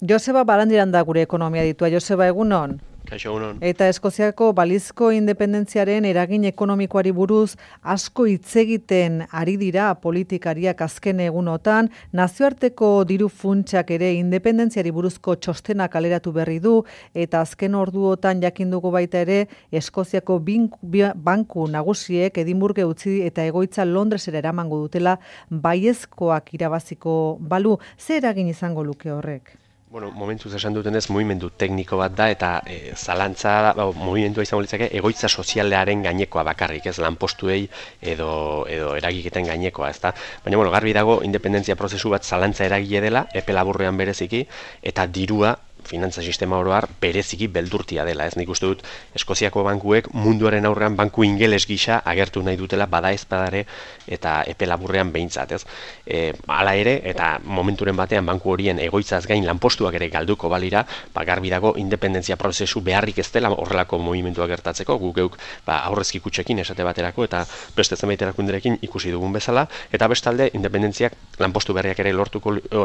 Joseba Barandiran da gure ekonomia ditua. Joseba, egunon? Kaixo, egunon. Eta Eskoziako balizko independentziaren eragin ekonomikoari buruz asko hitz egiten ari dira politikariak azken egunotan, nazioarteko diru funtsak ere independentziari buruzko txostena kaleratu berri du, eta azken orduotan jakin dugu baita ere Eskoziako banku nagusiek Edinburgh utzi eta egoitza Londresera eramango dutela baiezkoak irabaziko balu. Zer eragin izango luke horrek? Bueno, momentuz esan dutenez, mugimendu tekniko bat da, eta zalantza, mugimendua izango litzake, egoitza sozialearen gainekoa bakarrik, ez lanpostuei edo eragiketen gainekoa, ezta? Baina, bueno, garbi dago, independentzia prozesu bat zalantza eragile dela, epe laburrean bereziki, eta dirua, finantza sistema oro har, bereziki beldurtia dela, ez? Nik uste dut, Eskoziako bankuek munduaren aurrean banku ingeles gisa agertu nahi dutela bada ezpadare eta epe laburrean behintzat, ez? Hala ere, eta momenturen batean banku horien egoitzaz gain lanpostuak ere galduko balira, garbi dago independentzia prozesu beharrik ez dela horrelako mugimenduak gertatzeko, guk geuk aurrezki kutxekin esate baterako eta beste zenbait erakunderekin ikusi dugun bezala, eta bestalde independentziak lanpostu berriak ere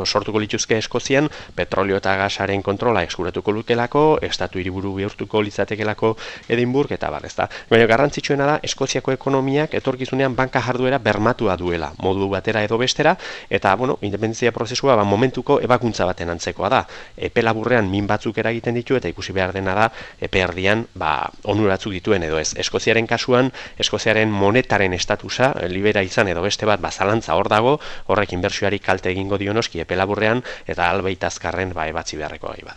sortuko lituzke Eskozian, petrolio eta gasaren kontrola eskuratuko lukelako, estatu hiriburu bihurtuko litzatekelako Edinburgh eta bar, ezta. Baina garrantzitsuena da Eskoziako ekonomiak etorkizunean banka jarduera bermatua duela, modu batera edo bestera, eta bueno, independentzia prozesua momentuko ebakuntza baten antzekoa da. Epe laburrean min batzuk eragiten ditu eta ikusi behar dena da epe erdian onuratzuk dituen edo ez. Eskoziaren kasuan, Eskoziaren monetaren estatusa libera izan edo beste bat zalantza hor dago, horrek inbertsioari kalte egingo dio noski epe laburrean eta albait azkarren ebatzi beharreko gai bada.